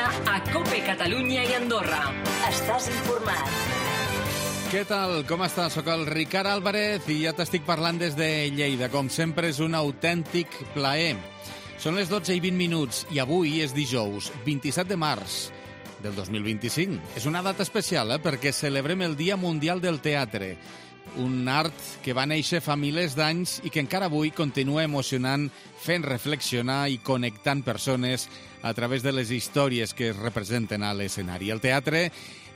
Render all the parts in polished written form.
setmana a COPE Catalunya i Andorra. Estàs informat. Què tal? Com estàs? Soc el Ricard Álvarez i ja t'estic parlant des de Lleida. Com sempre, és un autèntic plaer. Són les 12:20 i avui és dijous, 27 de març del 2025. És una data especial, perquè celebrem el Dia Mundial del Teatre, un art que va néixer fa milers d'anys i que encara avui continua emocionant, fent reflexionar i connectant persones a través de les històries que es representen a l'escenari. El teatre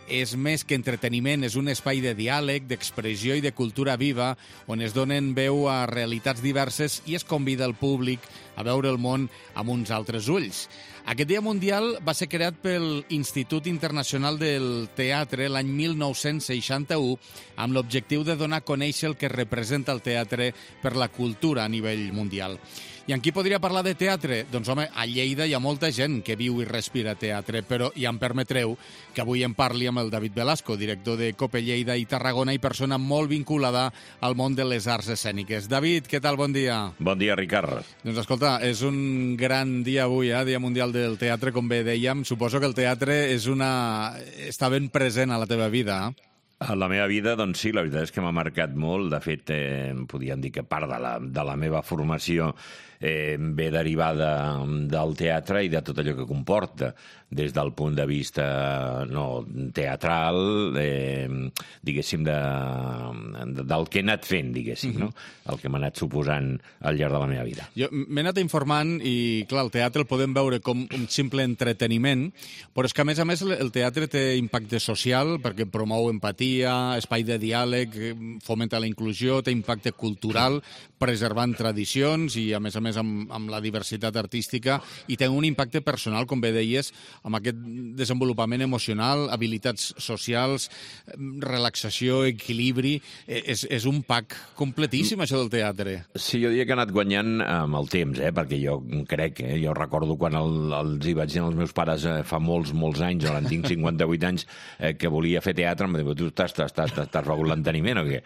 és més que entreteniment, és un espai de diàleg, d'expressió i de cultura viva, on es donen veu a realitats diverses i es convida el públic a veure el món amb uns altres ulls. Aquest Dia Mundial va ser creat pel Institut Internacional del Teatre l'any 1961 amb l'objectiu de donar a conèixer el que representa el teatre per la cultura a nivell mundial. I amb qui podria parlar de teatre? Doncs, home, a Lleida hi ha molta gent que viu i respira teatre, però ja em permetreu que avui en parli amb el David Velasco, director de COPE Lleida i Tarragona i persona molt vinculada al món de les arts escèniques. David, què tal? Bon dia. Bon dia, Ricard. Doncs escolta, és un gran dia avui, Dia Mundial del Teatre, com bé dèiem. Suposo que el teatre està ben present a la teva vida, A la meva vida, doncs sí, la veritat és que m'ha marcat molt. De fet, podríem dir que part de la meva formació ve derivada del teatre i de tot allò que comporta, des del punt de vista teatral, diguéssim, del que he anat fent, diguéssim, no? El que m'ha anat suposant al llarg de la meva vida. Jo m'he anat informant i, clar, el teatre el podem veure com un simple entreteniment, però és que, a més, el teatre té impacte social perquè promou empatia, espai de diàleg, fomenta la inclusió, té impacte cultural, preservant tradicions i, a més, amb la diversitat artística, i té un impacte personal, com bé deies, amb aquest desenvolupament emocional, habilitats socials, relaxació, equilibri. És un pack completíssim, això del teatre. Sí, jo diria que ha anat guanyant amb el temps, perquè jo crec, jo recordo quan els hi vaig dir als meus pares fa molts anys, ara en tinc 58 anys, que volia fer teatre, em va dir, tu t'has begut l'enteniment o què?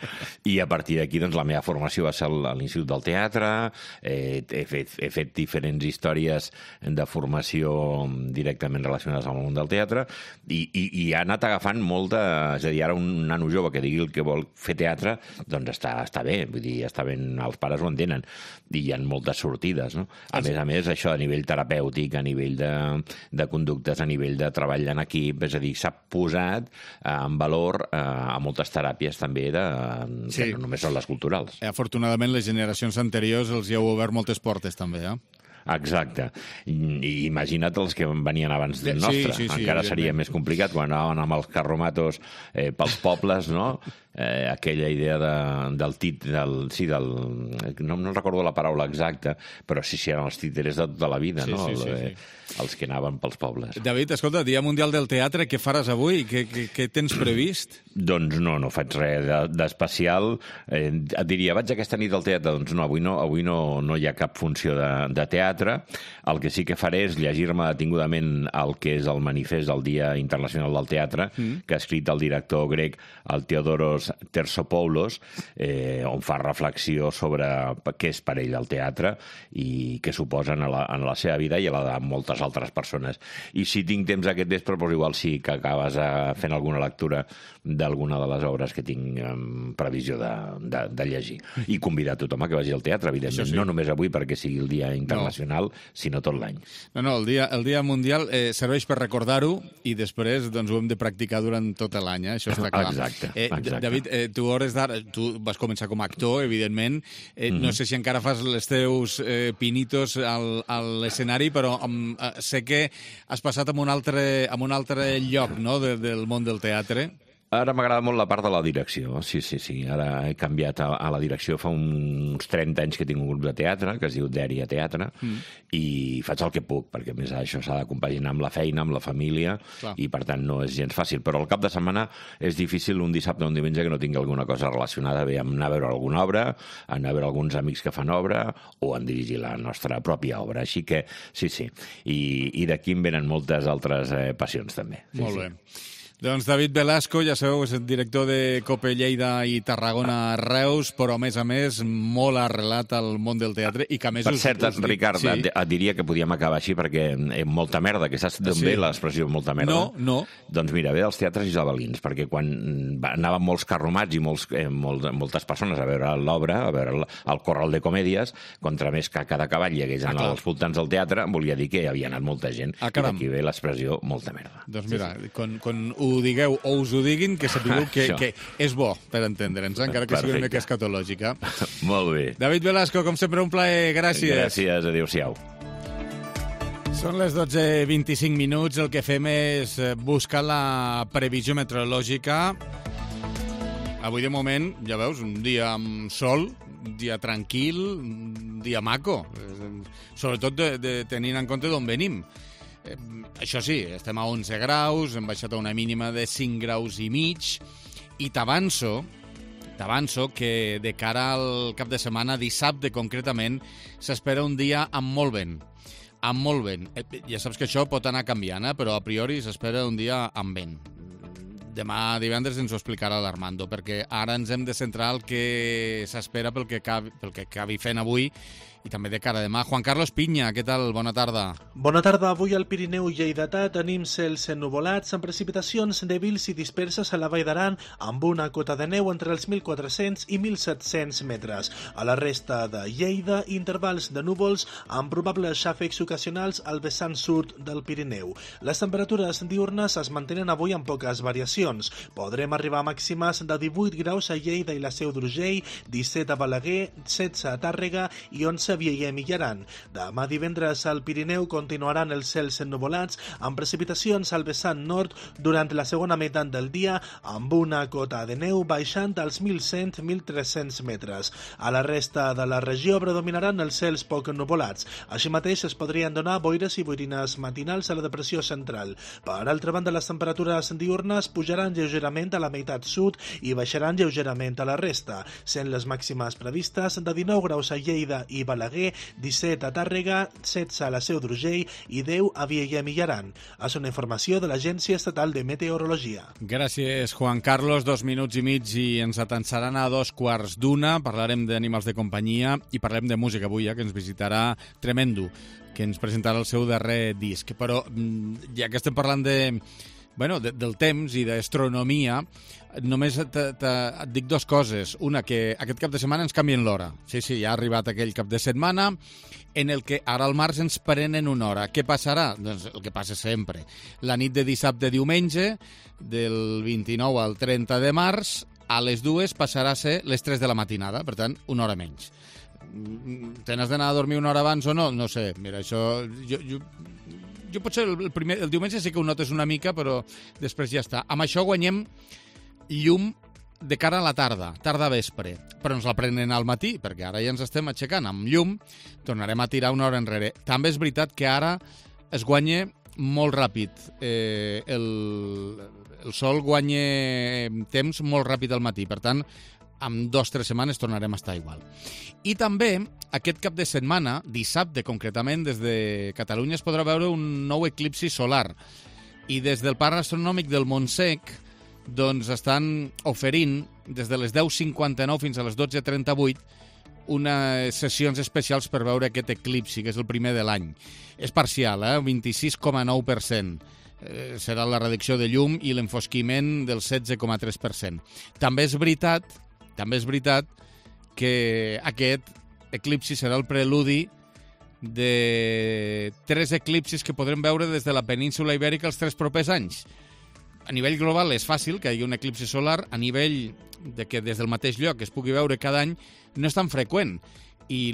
I a partir d'aquí, doncs, la meva formació va ser a l'Institut del Teatre, he fet diferents històries de formació directament relacionades amb el món del teatre i ha anat agafant molta... És a dir, ara un nano jove que digui el que vol fer teatre, doncs està bé, vull dir, està ben, els pares ho entenen, i hi ha moltes sortides, no? A més, això a nivell terapèutic, a nivell de conductes, a nivell de treball en equip, és a dir, s'ha posat en valor a moltes teràpies també, que no només són les culturals. Afortunadament, les generacions anteriors els hi heu obert moltes portes, també, Exacte. I imagina't els que venien abans del nostre. Sí, encara seria més complicat quan anaven amb els carromatos pels pobles, no? Aquella idea no recordo la paraula exacta, però sí, eren els títeres de tota la vida, no? Els que anaven pels pobles. David, escolta, Dia Mundial del Teatre, què faràs avui? Què tens previst? Doncs no faig res d'especial. Et diria, vaig aquesta nit al teatre? Doncs no, avui no hi ha cap funció de teatre. El que sí que faré és llegir-me detingudament el que és el manifest del Dia Internacional del Teatre, que ha escrit el director grec, el Theodoros Tersopoulos, on fa reflexió sobre què és per ell el teatre i què suposa en la seva vida i a la de moltes altres persones. I si tinc temps aquest vespre, doncs igual sí que acabes fent alguna lectura d'alguna de les obres que tinc en previsió de llegir. I convidar tothom a que vagi al teatre, evidentment. No només avui perquè sigui el Dia Internacional, sinó tot l'any. No, el Dia Mundial serveix per recordar-ho i després doncs, ho hem de practicar durant tot l'any, això està clar. Exacte. David, tu vas començar com a actor, evidentment. No sé si encara fas els teus pinitos a l'escenari, però sé que has passat a un altre lloc, no?, del món del teatre. Ara m'agrada molt la part de la direcció, sí. Ara he canviat a la direcció fa uns 30 anys que tinc un grup de teatre, que es diu Dèria Teatre, i faig el que puc, perquè a més això s'ha de compaginar amb la feina, amb la família, i per tant no és gens fàcil. Però al cap de setmana és difícil un dissabte o un diumenge que no tingui alguna cosa relacionada bé amb anar a veure alguna obra, anar a veure alguns amics que fan obra, o en dirigir la nostra pròpia obra. Així que sí. I d'aquí em venen moltes altres passions, també. Molt bé. Doncs David Velasco, ja sabeu, és el director de Cope Lleida i Tarragona Reus, però a més, molt arrelat al món del teatre i que a més... Per cert, Ricard, sí. Et diria que podíem acabar així perquè molta merda, que saps d'on ve l'expressió molta merda? No. Doncs mira, ve dels teatres isabelins, perquè quan anaven molts carromats i moltes persones a veure l'obra, a veure el Corral de Comèdies, contra més caca de cavall hi hagués als voltants del teatre, volia dir que hi havia anat molta gent. I d'aquí ve l'expressió molta merda. Doncs mira, quan ho digueu o us ho diguin, que sapigueu que és bo per entendre'ns, encara que sigui una mica escatològica. Molt bé. David Velasco, com sempre, un plaer. Gràcies. Gràcies, adéu-siau. Són les 12:25 minuts. El que fem és buscar la previsió meteorològica. Avui, de moment, ja veus, un dia amb sol, un dia tranquil, un dia maco, sobretot tenint en compte d'on venim. Això sí, estem a 11 graus, hem baixat a una mínima de 5 graus i mig, i t'avanço que de cara al cap de setmana, dissabte concretament, s'espera un dia amb molt vent. Amb molt vent. Ja saps que això pot anar canviant, però a priori s'espera un dia amb vent. Demà divendres ens ho explicarà l'Armando, perquè ara ens hem de centrar el que s'espera pel que acabi fent avui i també de cara a demà. Juan Carlos Piña, què tal? Bona tarda. Bona tarda. Avui al Pirineu lleidatà tenim cels ennuvolats amb precipitacions dèbils i disperses a la Vall d'Aran amb una cota de neu entre els 1.400 i 1.700 metres. A la resta de Lleida, intervals de núvols amb probables xàfecs ocasionals al vessant sud del Pirineu. Les temperatures diurnes es mantenen avui amb poques variacions. Podrem arribar a màximes de 18 graus a Lleida i la Seu d'Urgell, 17 a Balaguer, 16 a Tàrrega i 11 a Vielha i Mijaran. Demà divendres al Pirineu continuaran els cels ennuvolats amb precipitacions al vessant nord durant la segona meitat del dia amb una cota de neu baixant als 1.100-1.300 metres. A la resta de la regió predominaran els cels poc ennuvolats. Així mateix es podrien donar boires i boirines matinals a la depressió central. Per altra banda, les temperatures diurnes pujaran lleugerament a la meitat sud i baixaran lleugerament a la resta, sent les màximes previstes de 19 graus a Lleida i Balaguer, 17 a Tàrrega, 16 a la Seu d'Urgell i 10 a Vielha i Mijaran. És una informació de l'Agència Estatal de Meteorologia. Gràcies, Juan Carlos. 2 minuts i mig i ens atansaran a 2:15. Parlarem d'animals de companyia i parlarem de música avui, que ens visitarà Tremendo, que ens presentarà el seu darrer disc. Però ja que estem parlant del temps i d'astronomia, només et dic 2 coses. Una, que aquest cap de setmana ens canvien l'hora. Sí, ja ha arribat aquell cap de setmana en el que ara al març ens prenen una hora. Què passarà? Doncs el que passa sempre. La nit de dissabte a diumenge, del 29 al 30 de març, a les 2 passarà a ser les 3 de la matinada, per tant, una hora menys. Te n'has d'anar a dormir una hora abans o no? No sé, mira, això... Jo potser el diumenge sí que ho notes una mica, però després ja està. Amb això guanyem llum de cara a la tarda-vespre, però ens la prenen al matí, perquè ara ja ens estem aixecant amb llum, tornarem a tirar una hora enrere. També és veritat que ara es guanya molt ràpid. El sol guanya temps molt ràpid al matí, per tant, en 2 o 3 setmanes tornarem a estar igual. I també, aquest cap de setmana, dissabte concretament, des de Catalunya es podrà veure un nou eclipsi solar. I des del Parc Astronòmic del Montsec doncs estan oferint, des de les 10:59 fins a les 12:38, unes sessions especials per veure aquest eclipsi, que és el primer de l'any. És parcial, 26,9%. Serà la reducció de llum i l'enfosquiment del 16,3%. També és veritat que aquest eclipsi serà el preludi de 3 eclipsis que podrem veure des de la península Ibèrica els 3 propers anys. A nivell global és fàcil que hi hagi un eclipsi solar, a nivell de que des del mateix lloc es pugui veure cada any no és tan freqüent. I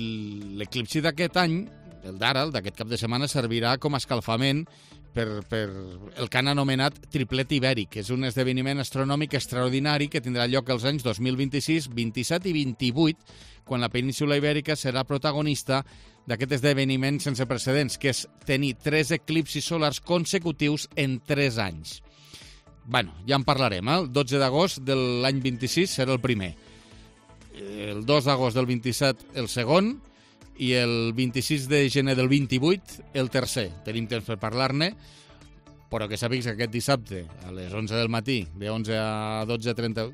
l'eclipsi d'aquest any, el d'ara, el d'aquest cap de setmana, servirà com a escalfament per el que han anomenat triplet ibèric, que és un esdeveniment astronòmic extraordinari que tindrà lloc els anys 2026, 27 i 28, quan la península Ibèrica serà protagonista d'aquest esdeveniment sense precedents, que és tenir 3 eclipsis solars consecutius en 3 anys. Bueno, ja en parlarem, El 12 d'agost de l'any 26 serà el primer. El 2 d'agost del 27 el segon, i el 26 de gener del 28 el tercer. Tenim temps per parlar-ne. però que sàpigues que aquest dissabte, a les 11 del matí, de 11 a 12:38,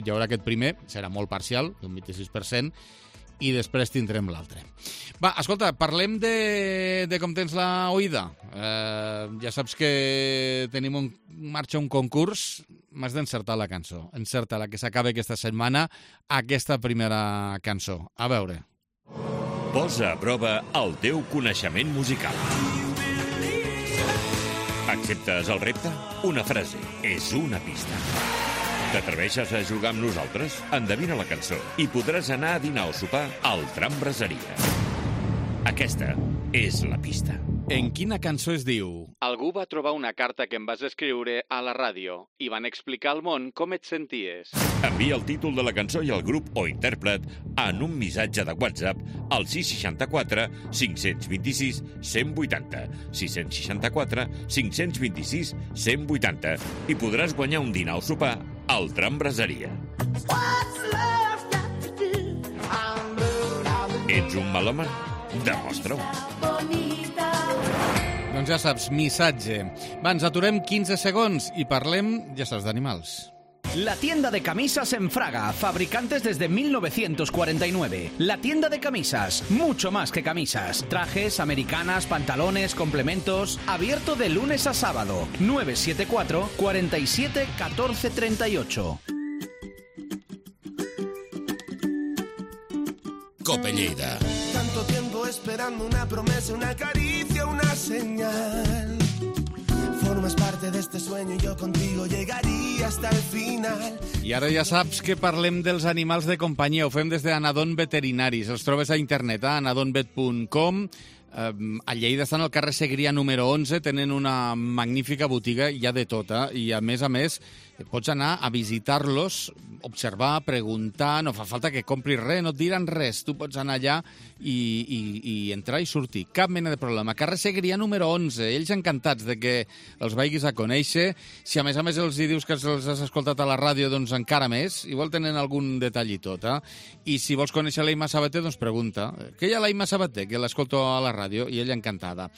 hi haurà aquest primer, serà molt parcial, d'un 26%, i després tindrem l'altre. Va, escolta, parlem de com tens la oïda. Ja saps que tenim marxa un concurs, m'has d'encertar la cançó. Encerta la que s'acaba aquesta setmana, aquesta primera cançó. A veure. Posa a prova el teu coneixement musical. Acceptes el repte? Una frase és una pista. T'atreveixes a jugar amb nosaltres? Endevina la cançó i podràs anar a dinar o sopar al Tram Braseria. Aquesta és la pista. En quina cançó es diu? Algú va trobar una carta que em vas escriure a la ràdio i van explicar al món com et senties. Envia el títol de la cançó i el grup o intèrpret en un missatge de WhatsApp al 664 526 180. 664 526 180 i podràs guanyar un dinar o sopar al Tram Braseria. Ets un melòman? Demostra-ho. Doncs ja saps, missatge. Va, ens aturem 15 segons i parlem, ja saps, d'animals. La tienda de camisas en Fraga, fabricantes desde 1949. La tienda de camisas, mucho más que camisas. Trajes, americanas, pantalones, complementos. Abierto de lunes a sábado. 974 47 14 38. Cope Lleida. Tanto tiempo esperando una promesa, una caricia, una señal. Formas parte de este sueño y yo contigo llegaría hasta el final. I ara ja saps que parlem dels animals de companyia. Ho fem des d'Anadon Veterinaris. Els trobes a internet, a anadonvet.com. A Lleida estan al carrer Segrià número 11, tenen una magnífica botiga, hi ha de tota, i a més, pots anar a visitar-los, observar, preguntar, no fa falta que compris res, no et diran res, tu pots anar allà i entrar i sortir, cap mena de problema. Carrer Segrià número 11, ells encantats de que els vagis a conèixer, si a més els hi dius que els has escoltat a la ràdio, doncs encara més, igual tenen algun detall i tot, i si vols conèixer l'Eima Sabater, doncs pregunta, què hi ha l'Eima Sabater, que l'escolto a la ràdio, i ella encantada.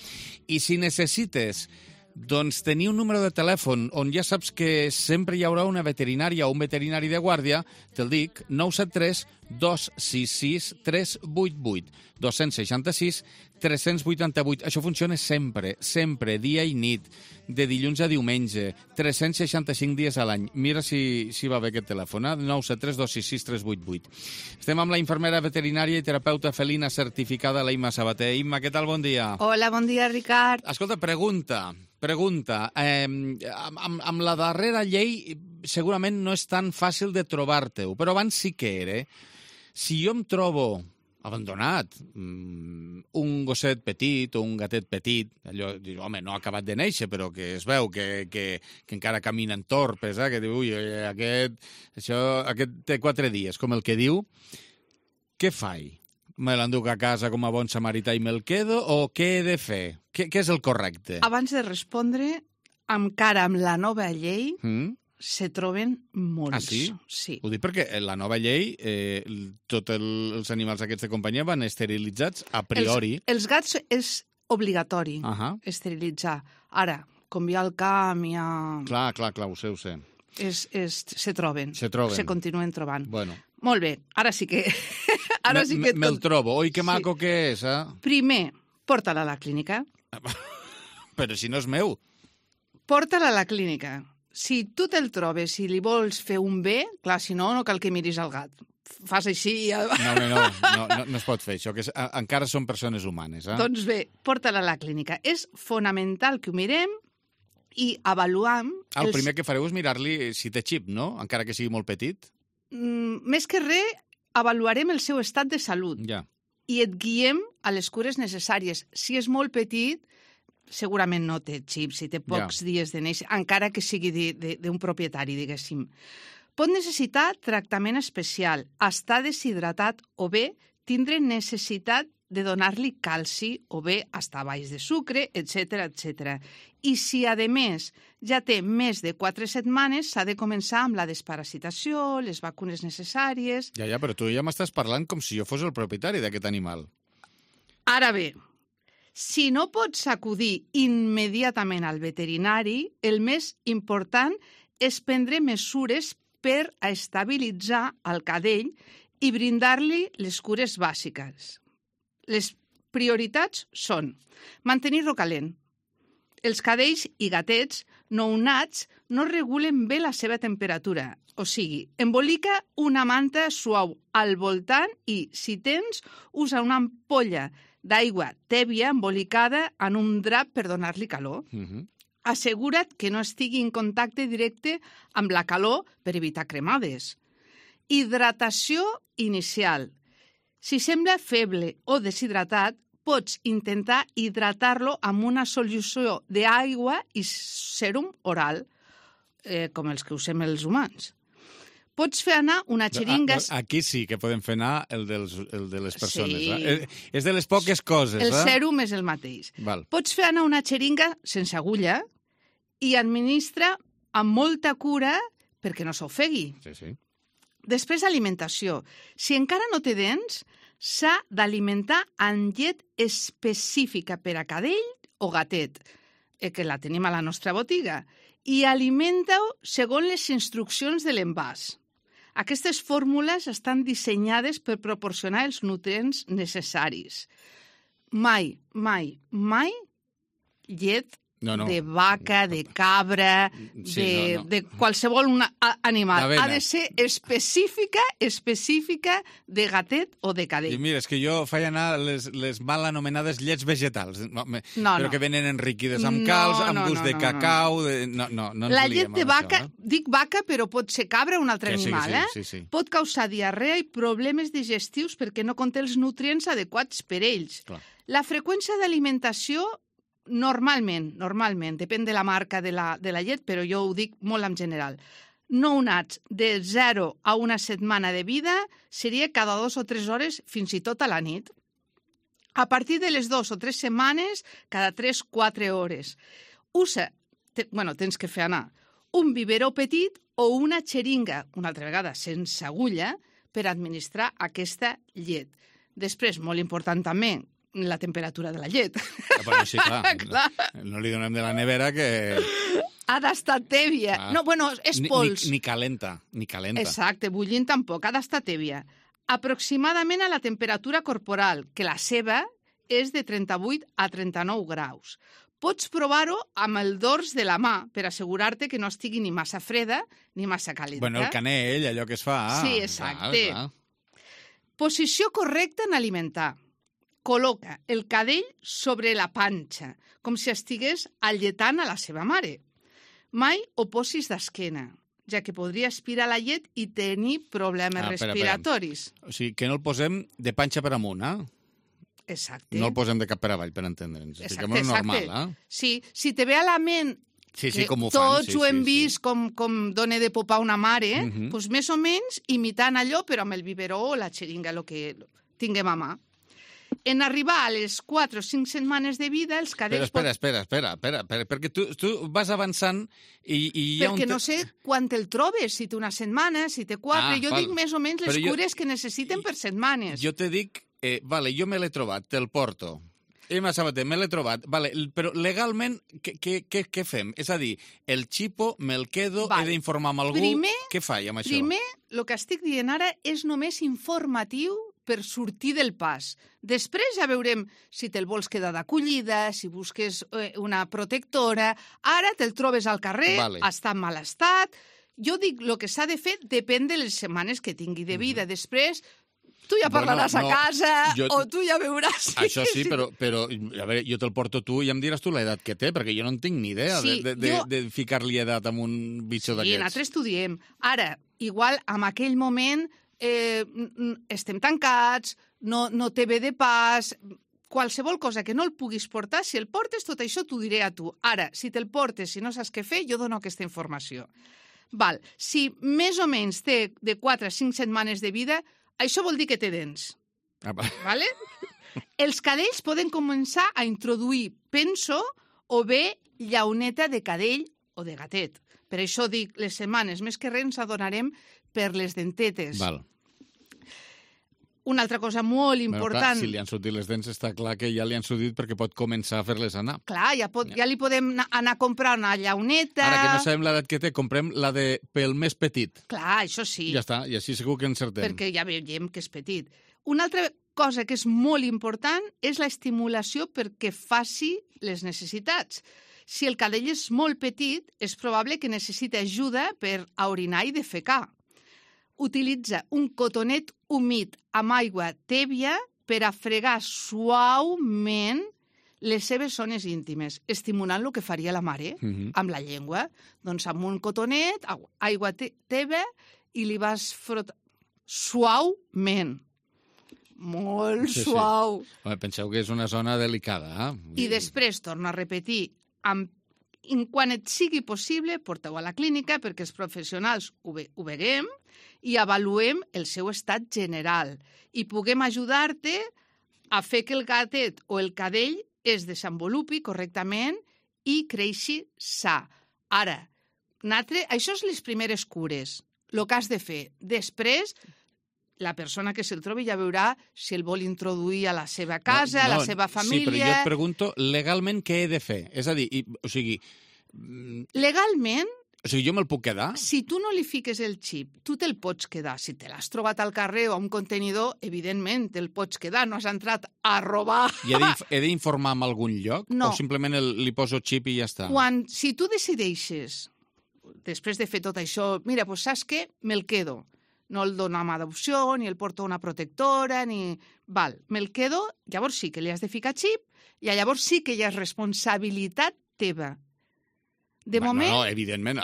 I si necessites doncs tenir un número de telèfon on ja saps que sempre hi haurà una veterinària o un veterinari de guàrdia, te'l dic, 973 266 388, 266 388. Això funciona sempre, sempre, dia i nit, de dilluns a diumenge, 365 dies a l'any. Mira si va bé aquest telèfon, 973 266 388. Estem amb la infermera veterinària i terapeuta felina certificada, l'Eima Sabater. Imma, què tal? Bon dia. Hola, bon dia, Ricard. Escolta, pregunta. Amb la darrera llei segurament no és tan fàcil de trobar-te-ho, però abans sí que era. Si jo em trobo abandonat, un gosset petit o un gatet petit, allò, home, no ha acabat de néixer, però que es veu que encara caminen torpes, que diu, ui, aquest té 4 dies, com el que diu, què faig? Me l'enduc a casa com a bon samarità i me'l quedo, o què he de fer? Què és el correcte? Abans de respondre, encara amb la nova llei, se troben molts. Ah, sí? Sí. Ho dic perquè la nova llei, tots els animals aquests de companyia van esterilitzats a priori. Els gats és obligatori esterilitzar. Ara, com hi ha el camp, hi ha... Clar, ho sé. Se troben. Se continuen trobant. Bueno. Molt bé, ara sí que... Me'l trobo. Oi, que maco que és, eh? Primer, porta-la a la clínica. Però si no és meu. Porta-la a la clínica. Si tu te'l trobes, si li vols fer un bé, clar, si no, no cal que miris el gat. Fas així... No es pot fer això, que encara són persones humanes. Doncs bé, porta-la a la clínica. És fonamental que ho mirem i avaluam... El primer que fareu és mirar-li si té xip, no? Encara que sigui molt petit. Més que res, avaluarem el seu estat de salut. Ja. I et guiem a les cures necessàries. Si és molt petit, segurament no té xip, si té pocs dies de néixer, encara que sigui d'un propietari, diguéssim. Pot necessitar tractament especial, estar deshidratat o bé tindre necessitat de donar-li calci o bé estar baix de sucre, etc. I si, a més, ja té més de 4 setmanes, s'ha de començar amb la desparasitació, les vacunes necessàries... Ja, però tu ja m'estàs parlant com si jo fos el propietari d'aquest animal. Ara bé, Si no pots acudir immediatament al veterinari, el més important és prendre mesures per a estabilitzar el cadell i brindar-li les cures bàsiques. Les prioritats són mantenir-lo calent. Els cadells i gatets nounats no regulen bé la seva temperatura. O sigui, embolica una manta suau al voltant i, si tens, usa una ampolla d'aigua tèbia embolicada en un drap per donar-li calor. Assegura't que no estigui en contacte directe amb la calor per evitar cremades. Hidratació inicial. Si sembla feble o deshidratat, pots intentar hidratar-lo amb una solució d'aigua i sèrum oral, com els que usem els humans. Pots fer anar una xeringa... Aquí sí que podem fer anar el de les persones. Sí. És de les poques coses. El sèrum és el mateix. Val. Pots fer anar una xeringa sense agulla i administra amb molta cura perquè no s'ofegui. Sí. Després, alimentació. Si encara no té dents, s'ha d'alimentar amb llet específica per a cadell o gatet, que la tenim a la nostra botiga, i alimenta-ho segons les instruccions de l'envàs. Aquestes fórmules estan dissenyades per proporcionar els nutrients necessaris. Mai llet de vaca, de cabra, de qualsevol animal. Ha de ser específica de gatet o de cadell. I mira, és que jo faig anar les mal anomenades llets vegetals, però que venen enriquides amb calç, amb gust de cacau... No la llet de vaca, dic vaca, però pot ser cabra o un altre animal, sí. Pot causar diarrea i problemes digestius perquè no conté els nutrients adequats per ells. Clar. La freqüència d'alimentació normalment, depèn de la marca de la llet, però jo ho dic molt en general. Nounats de 0 a una setmana de vida seria cada 2 o 3 hores, fins i tot a la nit. A partir de les 2 o 3 setmanes, cada 3-4 hores. Tens que fer anar un biberó petit o una xeringa, una altra vegada sense agulla, per administrar aquesta llet. Després, molt important també, la temperatura de la llet. Però sí, clar. No li donem de la nevera que... Ha d'estar tèbia. No, és pols. Ni calenta. Exacte, bullint tampoc, ha d'estar tèbia. Aproximadament a la temperatura corporal, que la seva és de 38 a 39 graus. Pots provar-ho amb el dors de la mà per assegurar-te que no estigui ni massa freda ni massa calenta. El canell, allò que es fa. Sí, exacte. Clar. Posició correcta en alimentar. Col·loca el cadell sobre la panxa, com si estigués alletant a la seva mare. Mai ho posis d'esquena, ja que podria aspirar la llet i tenir problemes respiratoris. O sigui, que no el posem de panxa per amunt, Exacte. No el posem de cap per avall, per entendre'ns. Exacte. Normal, Sí, si te ve a la ment com ho fan. Tots ho hem vist com dona de popar una mare, doncs més o menys imitant allò, però amb el biberó o la xeringa, el que tinguem a mà. En arribar a les 4 o 5 setmanes de vida, els cadells... Espera, perquè tu vas avançant i hi ha perquè no sé quan te'l trobes, si té una setmana, si té 4... Jo dic més o menys les cures que necessiten per setmanes. Jo te dic, jo me l'he trobat, te'l porto. Emma Sabater, me l'he trobat. Però legalment, què fem? És a dir, el xipo me'l quedo, he d'informar amb algú... Què faig amb això? Primer, el que estic dient ara és només informatiu per sortir del pas. Després ja veurem si te'l vols quedar d'acollida, si busques una protectora. Ara te'l trobes al carrer, està en mal estat. Jo dic, el que s'ha de fer depèn de les setmanes que tingui de vida. Després, tu ja parlaràs a casa o tu ja veuràs... Això sí, però a veure, jo te'l porto tu i em diràs tu l'edat que té, perquè jo no en tinc ni idea de ficar-li edat amb un bitxo d'aquests. Sí, nosaltres estudiem. Ara, igual, en aquell moment... estem tancats, no té bé de pas, qualsevol cosa que no el puguis portar, si el portes, tot això t'ho diré a tu. Ara, si te'l portes, si no saps què fer, jo dono aquesta informació. Si més o menys té de 4 a 5 setmanes de vida, això vol dir que té dents. Vale? Els cadells poden començar a introduir penso o bé llauneta de cadell o de gatet. Per això dic, les setmanes més que res ens adonarem per les dentetes. Una altra cosa molt important... Clar, si li han sortit les dents, està clar que ja li han sortit perquè pot començar a fer-les anar. Clar, ja li podem anar a comprar una llauneta... Ara que no sabem l'edat que té, comprem la de pel més petit. Clar, això sí. Ja està, i així segur que encertem. Perquè ja veiem que és petit. Una altra cosa que és molt important és l'estimulació perquè faci les necessitats. Si el cadell és molt petit, és probable que necessiti ajuda per a orinar i defecar. Utilitza un cotonet humit amb aigua tèbia per a fregar suaument les seves zones íntimes, estimulant el que faria la mare amb la llengua. Doncs amb un cotonet, aigua tèbia, i li vas frotar suaument. Molt suau. Home, penseu que és una zona delicada. I després, torno a repetir, quan et sigui possible, porteu a la clínica perquè els professionals ho veguem i avaluem el seu estat general i puguem ajudar-te a fer que el gatet o el cadell es desenvolupi correctament i creixi sa. Ara, això és les primeres cures, el que has de fer. Després, la persona que se'l trobi ja veurà si el vol introduir a la seva casa, a la seva família... Sí, però jo et pregunto, legalment què he de fer? És a dir, legalment... O sigui, jo me'l puc quedar? Si tu no li fiques el xip, tu te'l pots quedar. Si te l'has trobat al carrer o a un contenidor, evidentment te'l pots quedar. No has entrat a robar. I he d'informar en algun lloc? No. O simplement li poso xip i ja està? Si tu decideixes, després de fer tot això, mira, doncs saps què? Me'l quedo. No el dono amb adopció, ni el porto a una protectora, ni... me'l quedo, llavors sí que li has de ficar xip, i llavors sí que hi ha responsabilitat teva. De moment... No, evidentment.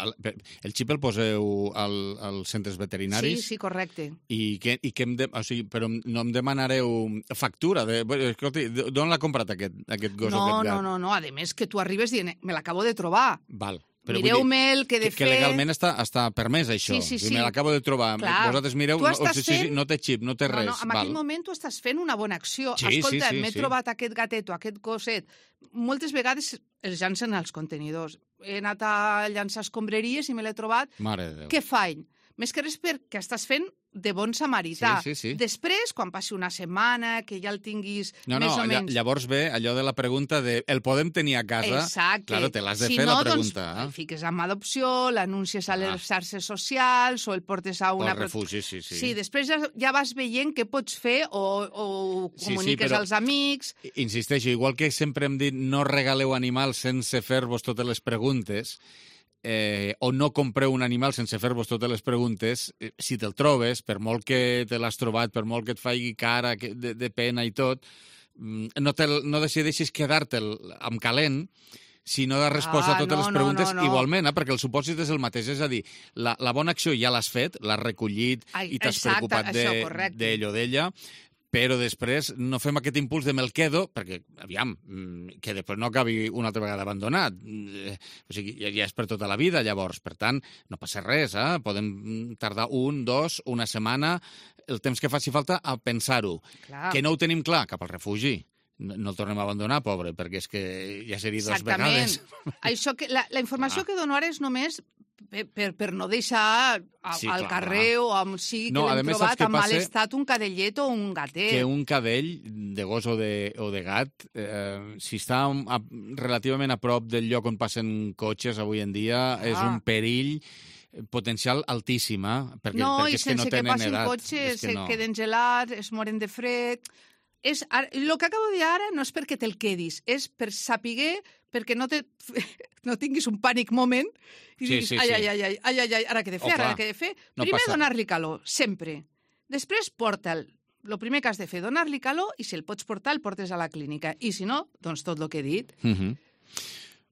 El xip el poseu als centres veterinaris? Sí, correcte. I què hem de... O sigui, però no em demanareu factura? Escolta, d'on l'ha comprat aquest gos o aquest gat? No. A més que tu arribes dient, me l'acabo de trobar. Val. Mireu-me el que he de fer... Que legalment està permès, això. Sí. Me l'acabo de trobar. Clar. Vosaltres mireu, no té xip, no té res. No, en aquell moment tu estàs fent una bona acció. Escolta, m'he trobat aquest gatet o aquest gosset. Moltes vegades els llancen als contenidors. He anat a llançar escombraries i me l'he trobat. Mare de Déu. Què faig? Més que res perquè estàs fent de bon samarità. Sí. Després, quan passi una setmana, que ja el tinguis més o menys... Llavors ve allò de la pregunta de el podem tenir a casa? Exacte. Claro, te l'has de fer la pregunta. Si no, doncs el fiques amb adopció, l'anuncies a les xarxes socials o el portes a una... O al refugi, sí. Sí, després ja vas veient què pots fer o comuniques als amics... Insisteixo, igual que sempre hem dit no regaleu animals sense fer-vos totes les preguntes... o no compreu un animal sense fer-vos totes les preguntes, si te'l trobes, per molt que te l'has trobat, per molt que et faci cara de pena i tot, no decideixis quedar-te'l amb calent, si no de resposta a totes les preguntes igualment, perquè el supòsit és el mateix. És a dir, la bona acció ja l'has fet, l'has recollit i t'has preocupat d'ell o d'ella, però després no fem aquest impuls de me'l quedo, perquè, aviam, que després no acabi una altra vegada abandonat. O sigui, ja és per tota la vida, llavors. Per tant, no passa res, Podem tardar 1, 2, una setmana, el temps que faci falta a pensar-ho. Que no ho tenim clar, cap al refugi. No el tornem a abandonar, pobre, perquè és que ja seria 2 vegades. Això la informació que dono ara és només per no deixar al carrer o on sigui que l'hem trobat en mal estat un cadellet o un gatet. Que un cadell de gos o de gat, si està relativament a prop del lloc on passen cotxes avui en dia, és un perill potencial altíssim, perquè és que no tenen edat. No, i sense que passin cotxes, se queden gelats, es moren de fred... El que acabo de dir ara no és perquè te'l quedis, és per saber, perquè no tinguis un pànic moment i diguis, ai, ara què he de fer, ara què he de fer. Primer donar-li calor, sempre. Després porta'l. El primer que has de fer, donar-li calor, i si el pots portar, el portes a la clínica. I si no, doncs tot el que he dit.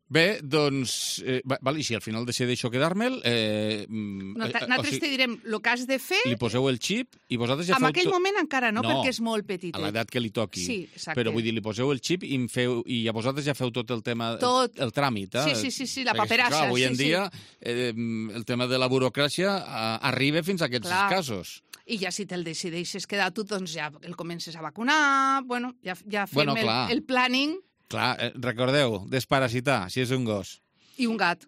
Bé, doncs... i si al final decideixo quedar-me'l... Nosaltres te direm el que has de fer... Li poseu el xip i vosaltres ja feu... En aquell moment encara no, perquè és molt petit. A l'edat que li toqui. Sí, exacte. Però vull dir, li poseu el xip i a vosaltres ja feu tot el tema... El tràmit, Sí, la paperassa. Avui en dia el tema de la burocràcia arriba fins a aquests casos. I ja si te'l decideixes quedar tu, doncs ja el comences a vacunar, ja fem el planning... Clar, recordeu, desparasitar, si és un gos. I un gat.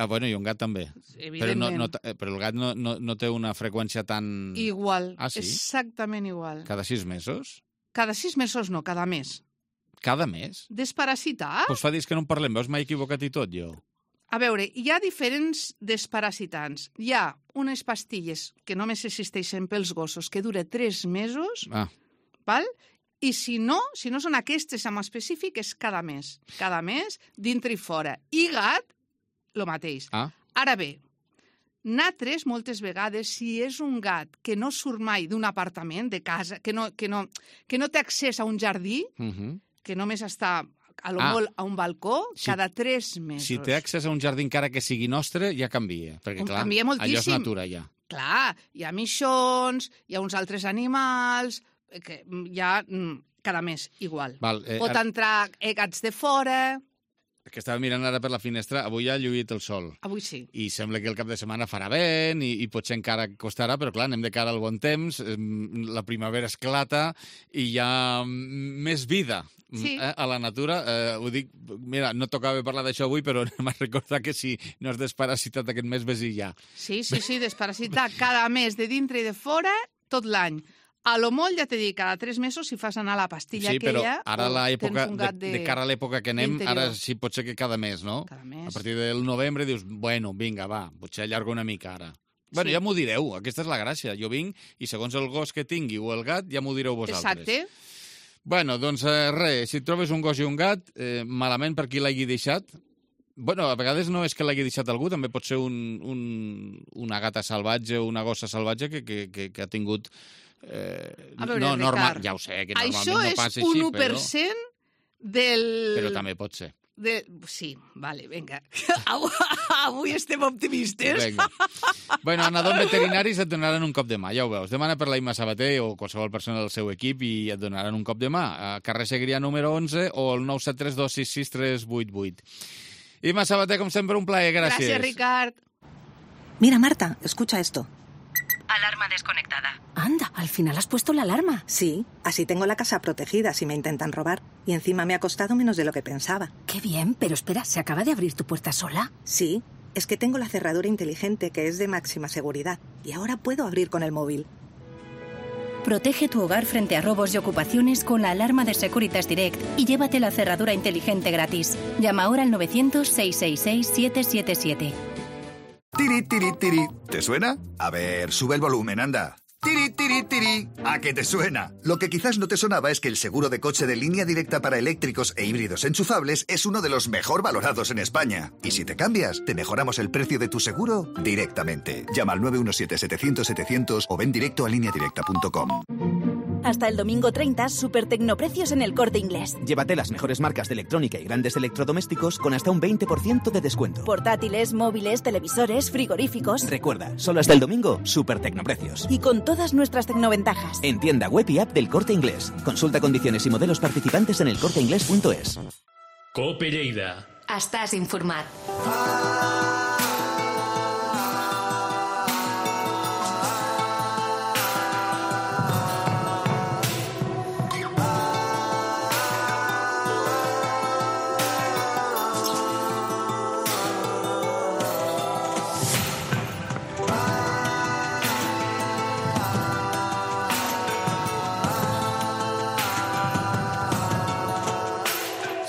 Bueno, i un gat també. Evidentment. Però el gat no té una freqüència tan... Igual, Ah, sí? exactament igual. Cada 6 mesos? Cada 6 mesos no, cada mes. Cada mes? Desparasitar? Doncs fa dies que no en parlem, veus, m'he equivocat i tot, jo. A veure, hi ha diferents desparasitants. Hi ha unes pastilles que només existeixen pels gossos, que dura 3 mesos, val? I si no són aquestes en específic, és cada mes. Cada mes, dintre i fora. I gat, el mateix. Ara bé, nosaltres, moltes vegades, si és un gat que no surt mai d'un apartament, de casa, que no té accés a un jardí, que només està a lo molt a un balcó, cada 3 mesos. Si té accés a un jardí encara que sigui nostre, ja canvia. Perquè, clar, canvia moltíssim. allò és natura, ja. Clar, hi ha mixons, hi ha uns altres animals, que hi ha cada mes igual. Pot entrar gats de fora... Que estava mirant ara per la finestra, avui ha lluït el sol. Avui sí. I sembla que el cap de setmana farà vent i potser encara costarà, però clar, anem de cara al bon temps, la primavera esclata i hi ha més vida a la natura. Ho dic, mira, no tocava parlar d'això avui, però m'ha recordat que si no has desparasitat aquest mes, ves-hi ja. Sí, desparasitar cada mes de dintre i de fora tot l'any. A lo molt, ja t'he dit, cada 3 mesos si fas anar la pastilla aquella... Sí, però ara de cara a l'època que anem, ara sí pot ser que cada mes, no? Cada mes. A partir del novembre dius, bueno, vinga, va, potser allargo una mica ara. Bueno, ja m'ho direu, aquesta és la gràcia. Jo vinc i segons el gos que tingui o el gat, ja m'ho direu vosaltres. Exacte. Bueno, doncs res, si trobes un gos i un gat, malament per qui l'hagi deixat. Bueno, a vegades no és que l'hagi deixat algú, també pot ser una gata salvatge o una gossa salvatge que ha tingut... A veure, Ricard, ja ho sé, que normalment no passa així, però... Això és 1% del... Però també pot ser. Sí, vale, vinga. Avui estem optimistes. Vinga. Bueno, anant veterinaris et donaran un cop de mà, ja ho veus. Demana per la Imma Sabater o qualsevol persona del seu equip i et donaran un cop de mà. A carrer Segrià número 11 o el 973266388. Imma Sabater, com sempre, un plaer, gràcies. Gràcies, Ricard. Mira, Marta, escucha esto. Alarma desconectada. Anda, al final has puesto la alarma. Sí, así tengo la casa protegida si me intentan robar. Y encima me ha costado menos de lo que pensaba. Qué bien, pero espera, ¿se acaba de abrir tu puerta sola? Sí, es que tengo la cerradura inteligente que es de máxima seguridad. Y ahora puedo abrir con el móvil. Protege tu hogar frente a robos y ocupaciones con la alarma de Securitas Direct y llévate la cerradura inteligente gratis. Llama ahora al 900-666-777. Tiri, tiri, tiri. ¿Te suena? A ver, sube el volumen, anda. Tiri, tiri, tiri. ¿A qué te suena? Lo que quizás no te sonaba es que el seguro de coche de Línea Directa para eléctricos e híbridos enchufables es uno de los mejor valorados en España. Y si te cambias, te mejoramos el precio de tu seguro directamente. Llama al 917-700-700 o ven directo a lineadirecta.com. Hasta el domingo 30, super tecnoprecios en El Corte Inglés. Llévate las mejores marcas de electrónica y grandes electrodomésticos con hasta un 20% de descuento. Portátiles, móviles, televisores, frigoríficos. Recuerda, solo hasta el domingo, super tecnoprecios. Y con todas nuestras tecnoventajas. En tienda web y app del Corte Inglés. Consulta condiciones y modelos participantes en elcorteinglés.es. COPE Lleida. Estàs informat.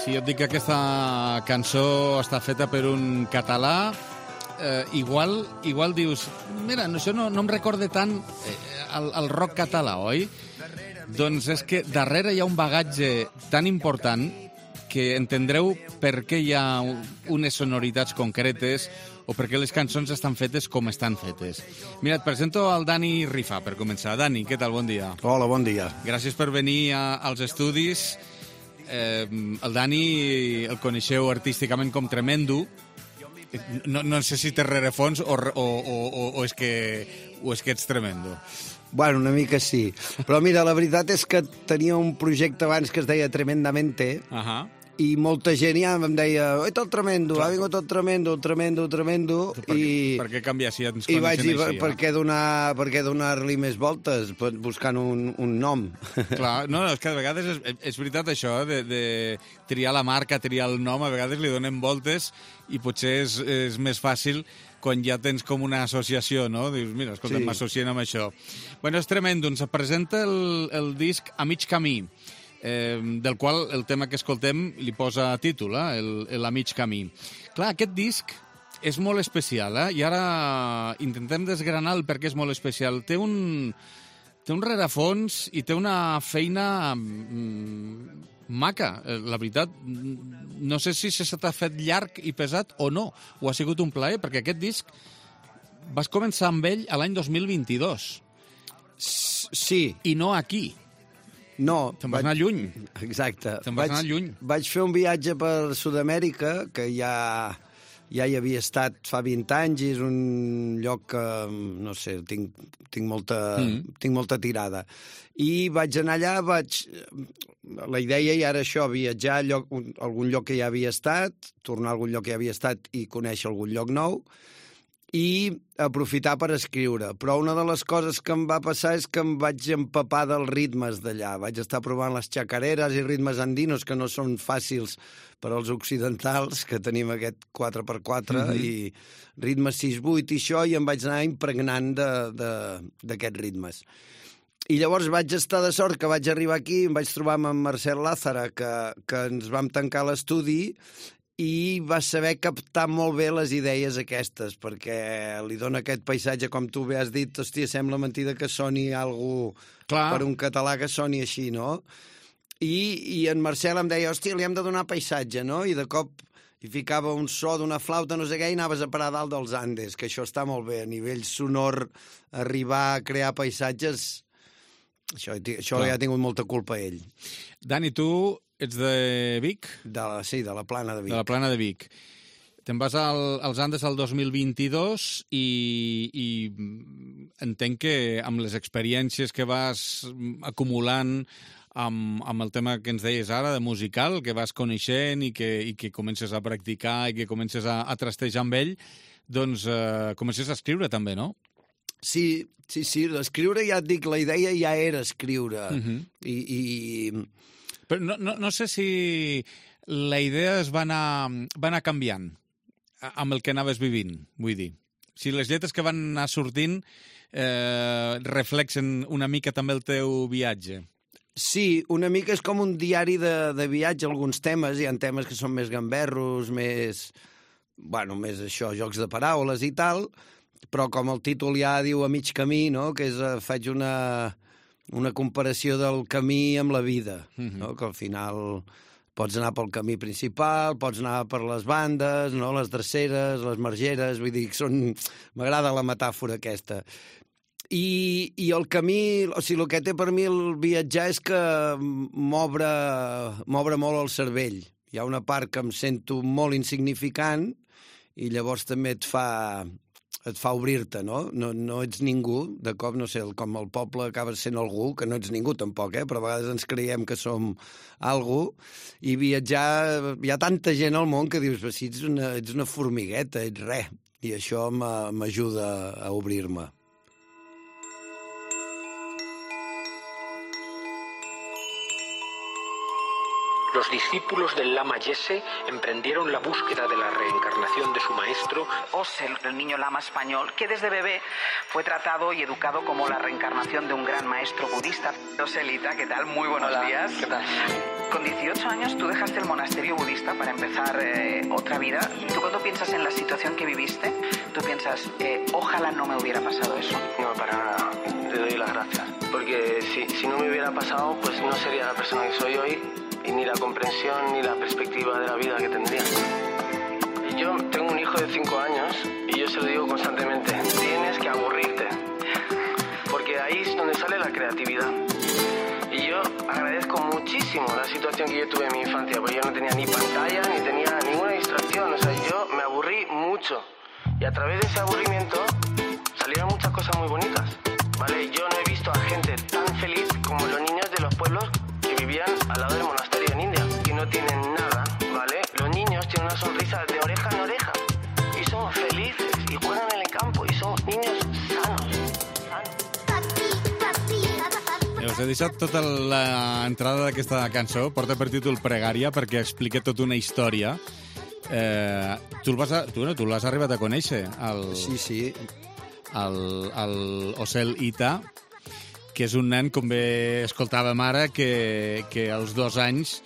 Si jo et dic que aquesta cançó està feta per un català, igual dius, mira, això no em recorda tant el rock català, oi? Doncs és que darrere hi ha un bagatge tan important que entendreu per què hi ha unes sonoritats concretes o per què les cançons estan fetes com estan fetes. Mira, et presento el Dani Rifa, per començar. Dani, què tal? Bon dia. Hola, bon dia. Gràcies per venir als estudis. El Dani el coneixeu artísticament com Tremendo. No sé si té rerefons o és que ets tremendo. Bueno, una mica sí. Però mira, la veritat és que tenia un projecte abans que es deia Tremendamente I molta gent ja em deia, oi, el tremendo, ha vingut el tremendo. Per què canviar si ens coneixen així? I vaig dir, per què donar-li més voltes, buscant un nom. Clar, no, és que a vegades és veritat això, de triar la marca, triar el nom, a vegades li donem voltes i potser és més fàcil quan ja tens com una associació, no? Dius, mira, escolta, m'associen amb això. Bueno, és tremendo, ens presenta el disc A mig camí, del qual el tema que escoltem li posa títol, el A mig camí. Clar, aquest disc és molt especial, i ara intentem desgranar el per què és molt especial. Té un rerefons i té una feina maca, la veritat. No sé si se t'ha fet llarg i pesat o no, o ha sigut un plaer, perquè aquest disc vas començar amb ell l'any 2022. Sí. I no aquí. No. Te'n vas anar lluny. Exacte. Te'n vas anar lluny. Vaig fer un viatge per Sud-amèrica, que ja hi havia estat fa 20 anys, i és un lloc que, no sé, tinc molta tirada. I vaig anar allà, la idea ja era això, viatjar a algun lloc que ja havia estat, tornar a algun lloc que ja havia estat i conèixer algun lloc nou, i aprofitar per escriure. Però una de les coses que em va passar és que em vaig empapar dels ritmes d'allà. Vaig estar provant les xacareres i ritmes andinos, que no són fàcils per als occidentals, que tenim aquest 4x4, i ritmes 6-8 i això, i em vaig anar impregnant d'aquests ritmes. I llavors vaig estar de sort que vaig arribar aquí, em vaig trobar amb en Marcel Lázara, que ens vam tancar l'estudi, i va saber captar molt bé les idees aquestes, perquè li dona aquest paisatge, com tu bé has dit, hòstia, sembla mentida que soni algú per un català que soni així, no? I en Marcel em deia, hòstia, li hem de donar paisatge, no? I de cop hi ficava un so d'una flauta, no sé què, i anaves a parar dalt dels Andes, que això està molt bé, a nivell sonor, arribar a crear paisatges, això ja ha tingut molta culpa ell. Dani, tu ets de Vic? Sí, de la Plana de Vic. De la Plana de Vic. Te'n vas als Andes el 2022 i entenc que amb les experiències que vas acumulant amb el tema que ens deies ara, de musical, que vas coneixent i que comences a practicar i que comences a trastejar amb ell, doncs comences a escriure també, no? Sí, l'escriure, ja et dic, la idea ja era escriure. Però no sé si la idea es va anar canviant amb el que anaves vivint, vull dir. Si les lletres que van anar sortint reflexen una mica també el teu viatge. Sí, una mica és com un diari de viatge, alguns temes. Hi ha temes que són més gamberros, més això, jocs de paraules i tal, però com el títol ja diu A mig camí, no? Que faig una comparació del camí amb la vida, no? Que al final pots anar pel camí principal, pots anar per les bandes, no? Les dreceres, les margeres, vull dir, m'agrada la metàfora aquesta. I el camí, o sigui, el que té per mi el viatjar és que m'obre molt el cervell. Hi ha una part que em sento molt insignificant i llavors també et fa obrir-te, no? No ets ningú, de cop, no sé, com el poble acabes sent algú, que no ets ningú tampoc, però a vegades ens creiem que som algú, i viatjar, hi ha tanta gent al món que dius, si ets una formigueta, ets res, i això m'ajuda a obrir-me. Los discípulos del Lama Yese emprendieron la búsqueda de la reencarnación de su maestro. Osel, el niño lama español, que desde bebé fue tratado y educado como la reencarnación de un gran maestro budista. Oselita, ¿qué tal? Muy buenos días. ¿Qué tal? Con 18 años tú dejaste el monasterio budista para empezar otra vida. ¿Tú cuando piensas en la situación que viviste, tú piensas, ojalá no me hubiera pasado eso? No, para nada. Te doy las gracias. Porque si no me hubiera pasado, pues no sería la persona que soy hoy. Y ni la comprensión ni la perspectiva de la vida que tendría. Yo tengo un hijo de 5 años y yo se lo digo constantemente, tienes que aburrirte, porque ahí es donde sale la creatividad. Y yo agradezco muchísimo la situación que yo tuve en mi infancia, porque yo no tenía ni pantalla, ni tenía ninguna distracción, o sea, yo me aburrí mucho. Y a través de ese aburrimiento salieron muchas cosas muy bonitas, ¿vale? Yo no he visto a gente tan feliz como los niños de los pueblos que vivían al lado del monasterio en India, que no tienen nada He deixat tota l'entrada d'aquesta cançó, porta per títol Pregària, perquè explica tota una història. Tu l'has arribat a conèixer, Sí. el Osel Ita, que és un nen, com bé escoltàvem ara, que als 2 anys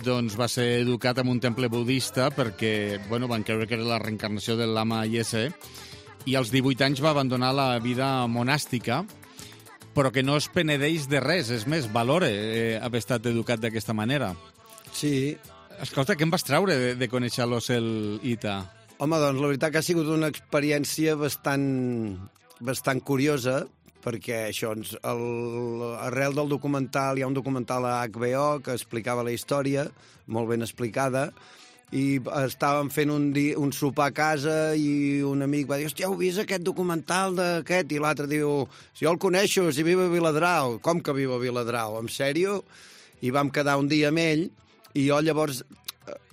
doncs, va ser educat en un temple budista perquè van creure que era la reencarnació de l'Ama Yese, i als 18 anys va abandonar la vida monàstica, però que no es penedeix de res, és més, valora haver estat educat d'aquesta manera. Sí. Escolta, què em vas treure de conèixer l'Osel Ita? Home, doncs la veritat que ha sigut una experiència bastant curiosa, perquè això, arrel del documental, hi ha un documental a HBO que explicava la història, molt ben explicada, i estàvem fent un sopar a casa i un amic va dir, hòstia, heu vist aquest documental d'aquest? I l'altre diu, si jo el coneixo, si viu a Viladrau. Com que viu a Viladrau? En sèrio? I vam quedar un dia amb ell, i jo llavors,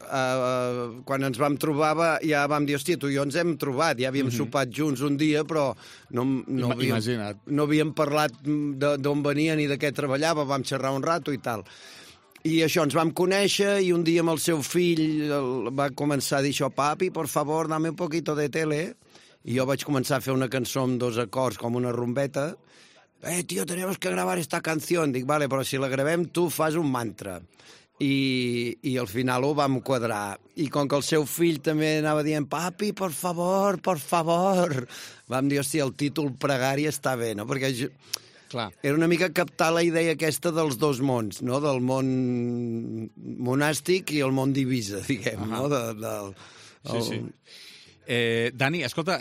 quan ens vam trobar, ja vam dir, hòstia, tu i jo ens hem trobat, ja havíem sopat junts un dia, però no havíem parlat d'on venien i de què treballava, vam xerrar un rato i tal. I això, ens vam conèixer, i un dia amb el seu fill va començar a dir això, papi, por favor, dame un poquito de tele, i jo vaig començar a fer una cançó amb 2 acords, com una rumbeta. Tío, tenemos que gravar esta canción. Dic, vale, però si la gravem tu fas un mantra. I al final ho vam quadrar. I com que el seu fill també anava dient papi, por favor, vam dir, hòstia, el títol Pregària està bé, no? Perquè era una mica captar la idea aquesta dels 2 mons, no? Del món monàstic i el món divisa, diguem, no? Sí. Dani, escolta,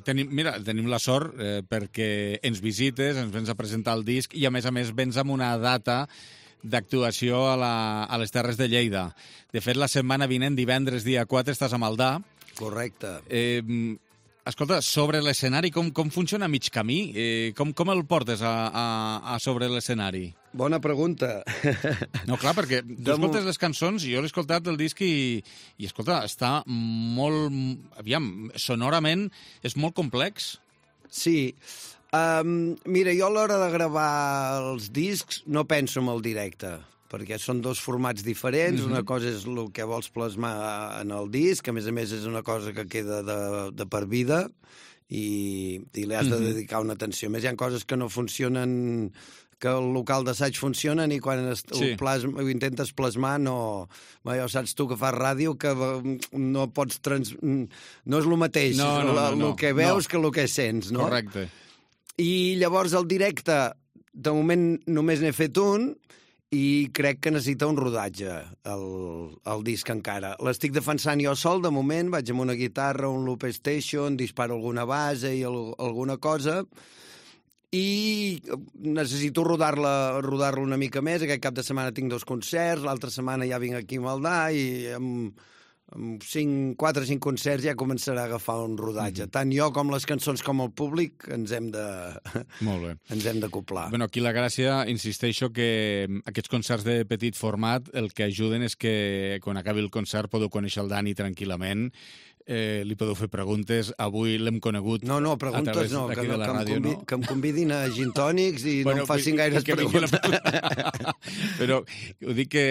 tenim la sort perquè ens visites, ens vens a presentar el disc i, a més, vens amb una data d'actuació a les Terres de Lleida. De fet, la setmana vinent, divendres, dia 4, estàs a Maldà. Correcte. Escolta, sobre l'escenari, com funciona mig camí? Com el portes a sobre l'escenari? Bona pregunta. No, clar, perquè tu escoltes les cançons, i jo l'he escoltat el disc i escolta, està molt... Aviam, sonorament és molt complex. Sí. Mira, jo a l'hora de gravar els discs no penso en el directe, perquè són 2 formats diferents. Una cosa és el que vols plasmar en el disc, a més és una cosa que queda de per vida i li has de dedicar una atenció. A més, hi ha coses que no funcionen, que el local d'assaig funcionen i quan ho intentes plasmar no... Ja saps tu que fas ràdio que no pots... No és el mateix el que veus que el que sents, no? Correcte. I llavors el directe, de moment només n'he fet un i crec que necessita un rodatge, el disc encara. L'estic defensant jo sol, de moment, vaig amb una guitarra, un loop station, disparo alguna base i alguna cosa, i necessito rodar-la una mica més. Aquest cap de setmana tinc 2 concerts, l'altra setmana ja vinc aquí a Maldà i amb 4 o 5 concerts ja començarà a agafar un rodatge. Tant jo com les cançons com el públic ens hem d'acoplar. Bueno, aquí la gràcia, insisteixo, que aquests concerts de petit format el que ajuden és que quan acabi el concert podeu conèixer el Dani tranquil·lament, li podeu fer preguntes. Avui l'hem conegut preguntes a través d'aquí de la ràdio. Que em convidin a gin tònics i no em facin gaires preguntes. Però ho dic que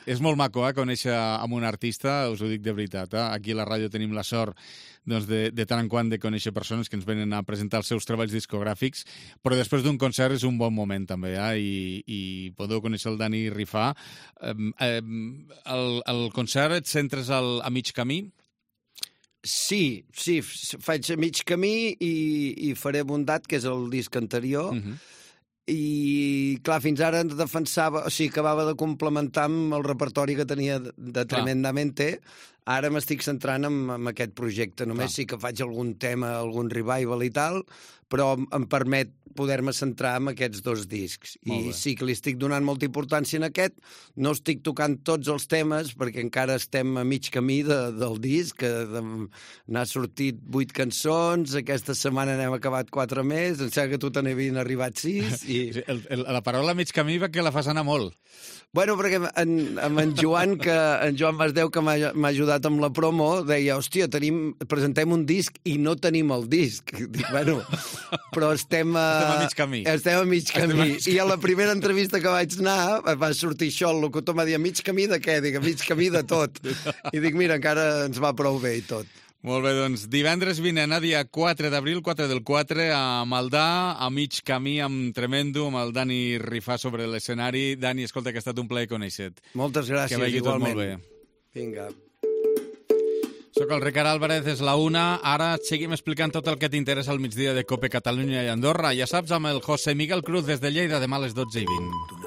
és molt maco conèixer amb un artista, us ho dic de veritat. Aquí a la ràdio tenim la sort de tant en quant de conèixer persones que ens venen a presentar els seus treballs discogràfics, però després d'un concert és un bon moment també, i podeu conèixer el Dani rifar. El concert et centres a mig camí? Sí, faig a mig camí i faré Bondat, que és el disc anterior, i clar, fins ara defensava, o sigui, acabava de complementar amb el repertori que tenia de Tremendamente. Ara m'estic centrant en aquest projecte. Només sí que faig algun tema, algun revival i tal, però em permet poder-me centrar en aquests 2 discs. I sí que li estic donant molta importància en aquest. No estic tocant tots els temes, perquè encara estem a mig camí del disc, que n'ha sortit 8 cançons, aquesta setmana n'hem acabat 4 més, em sembla que tu te n'havien arribat 6. La paraula mig camí va que la fas anar molt. Bueno, perquè amb en Joan, en Joan Masdeu, que m'ha ajudat amb la promo, deia, hòstia, presentem un disc i no tenim el disc. Dic, bueno, però estem a Estem a mig camí. Estem a mig camí. I a la primera entrevista que vaig anar va sortir això, el locutor m'ha dit, a mig camí de què? Dic, a mig camí de tot. I dic, mira, encara ens va prou bé i tot. Molt bé, doncs divendres vinent, dia 4 d'abril, 4 del 4, a Maldà, a mig camí, amb Tremendo, amb el Dani Rifà sobre l'escenari. Dani, escolta, que ha estat un plaer conèixer-te. Moltes gràcies, que vagi igualment. Tot molt bé. Vinga. Soc el Ricard Álvarez, és la 1. Ara seguim explicant tot el que t'interessa al migdia de COPE Catalunya i Andorra. Ja saps, amb el José Miguel Cruz des de Lleida, demà a les 12:20.